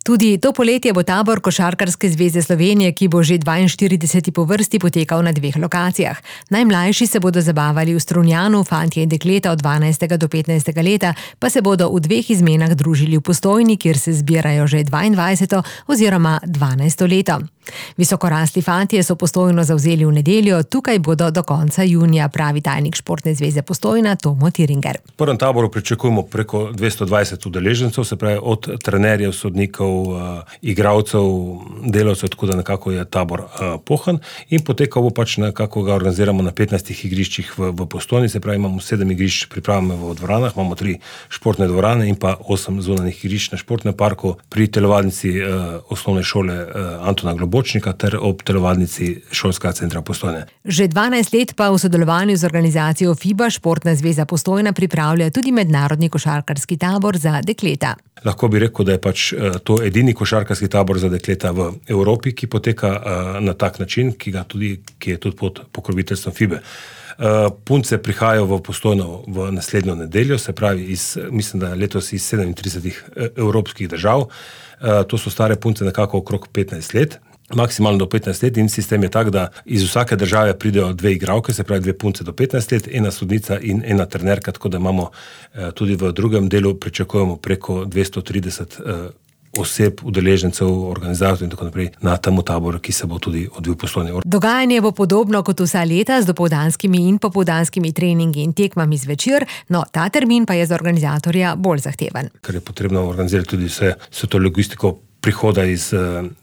Tudi to poletje bo tabor Košarkarske zveze Slovenije, ki bo že 42. po vrsti, potekal na 2 lokacijah. Najmlajši se bodo zabavali v Strunjanu, fantje in dekleta od 12. do 15. leta pa se bodo v 2 izmenah družili v Postojni, kjer se zbirajo že 22. oziroma 12. leto. Visokorasli fantje so Postojno zavzeli v nedeljo, tukaj bodo do konca junija, pravi tajnik Športne zveze Postojna Tomo Tiringer. V prvem taboru pričakujemo preko 220 udeležencev, se pravi od trenerjev, sodnikov, igralcev, delavcev, tako da nekako je tabor pohan in potekal bo pač nekako ga organiziramo na 15 igriščih v Postojni, se pravi imamo 7 igrišč pripravljeno v dvoranah, imamo 3 športne dvorane in pa 8 zunanjih igrišč na športnem parku pri telovadnici osnovne šole Antona Globočnika ter ob telovadnici šolskega centra Postojne. Že 12 let pa v sodelovanju z organizacijo FIBA Športna zveza Postojna pripravlja tudi mednarodni košarkarski tabor za dekleta. Lahko bi rekel, da je pač to edini košarkarski tabor za dekleta v Evropi, ki poteka na tak način, ki je tudi pod pokroviteljstvom FIBE. Punce prihajajo v Postojno v naslednjo nedeljo, se pravi mislim, da letos iz 37 evropskih držav. To so stare punce nekako okrog 15 let. Maksimalno do 15 let in sistem je tak, da iz vsake države pridejo 2 igralke, se pravi 2 punce do 15 let, 1 sodnica in 1 trenerka, tako da imamo tudi v drugem delu pričakujemo preko 230 oseb, udeležencev, organizatorjev in tako naprej na tem taboru, ki se bo tudi odvil v Postojni. Dogajanje bo podobno kot vsa leta z dopoldanskimi in popoldanskimi treningi in tekmami zvečer, no ta termin pa je za organizatorja bolj zahteven. Ker je potrebno organizirati tudi vse to logistiko prihoda iz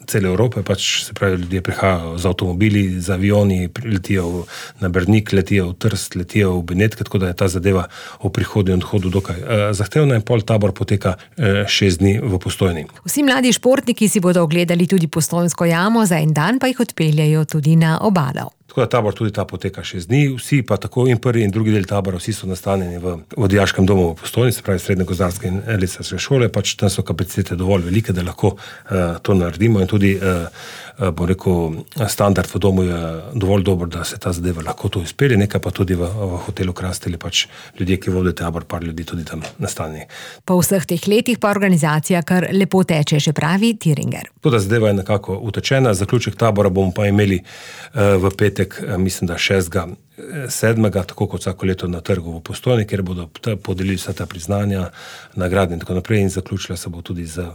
cele Evrope, pač se pravi, ljudje prihajajo z avtomobili, z avioni, letijo na Brnik, letijo v Trst, letijo v Benetke, tako da je ta zadeva o prihodu in odhodu dokaj zahtevna in pol tabor poteka 6 dni v Postojni. Vsi mladi športniki si bodo ogledali tudi Postojnsko jamo, za en dan pa jih odpeljajo tudi na obalo. Tako da tabor tudi ta poteka 6 dni, vsi pa tako in prvi in drugi del tabora, vsi so nastanjeni v dijaškem domu v Postojni, se pravi srednje gozdarske in lesarske šole, pač tam so kapacitete dovolj velike, da lahko to naredimo in tudi, bom rekel, standard v domu je dovolj dober, da se ta zadeva lahko to izpelje, nekaj pa tudi v hotelu Krasteli, pač ljudje, ki vodijo tabor, par ljudi tudi tam nastanjeni. Po vseh teh letih pa organizacija kar lepo teče, še pravi Tiringer. Tako da zadeva je nekako utečena, zaključek tabora bomo pa imeli v petek, mislim, da 6.7., tako kot vsako leto na trgu v Postojni, kjer bodo podelili vsa ta priznanja, nagrade in tako naprej in zaključila se bo tudi z